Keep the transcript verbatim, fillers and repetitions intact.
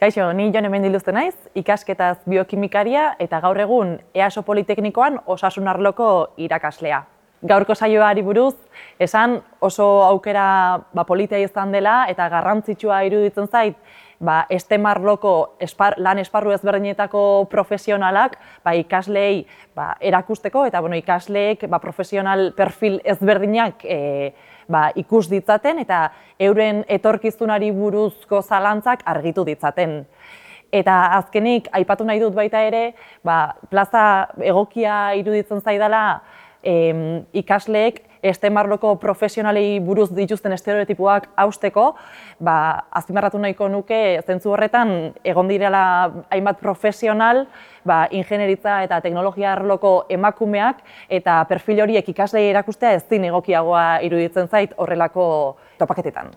Kaixo, ni Jone Mendiluzte naiz, ikasketaz biokimikaria eta gaur egun EASO Politeknikoan osasun arloko irakaslea. Gaurko saioari buruz, esan oso aukera ba, politia izan dela eta garrantzitsua iruditzen zait ba, STEM arloko espar, lan esparru ezberdinetako profesionalak ba, ikasleei ba, erakusteko eta bueno, ikasleek ba, profesional perfil ezberdinak e, ba, ikus ditzaten eta euren etorkizunari buruzko zalantzak argitu ditzaten. Eta azkenik, aipatu nahi dut baita ere, ba, plaza egokia iruditzen zaidala em, ikasleek STEM arloko profesionalei buruz dituzten estereotipoak hausteko, ba, azpimarratu nahiko nuke zentzu horretan egon direla hainbat profesional, ba, ingenieritza eta teknologia arloko emakumeak eta perfil horiek ikaslei erakustea ezin egokiagoa iruditzen zait horrelako topaketetan.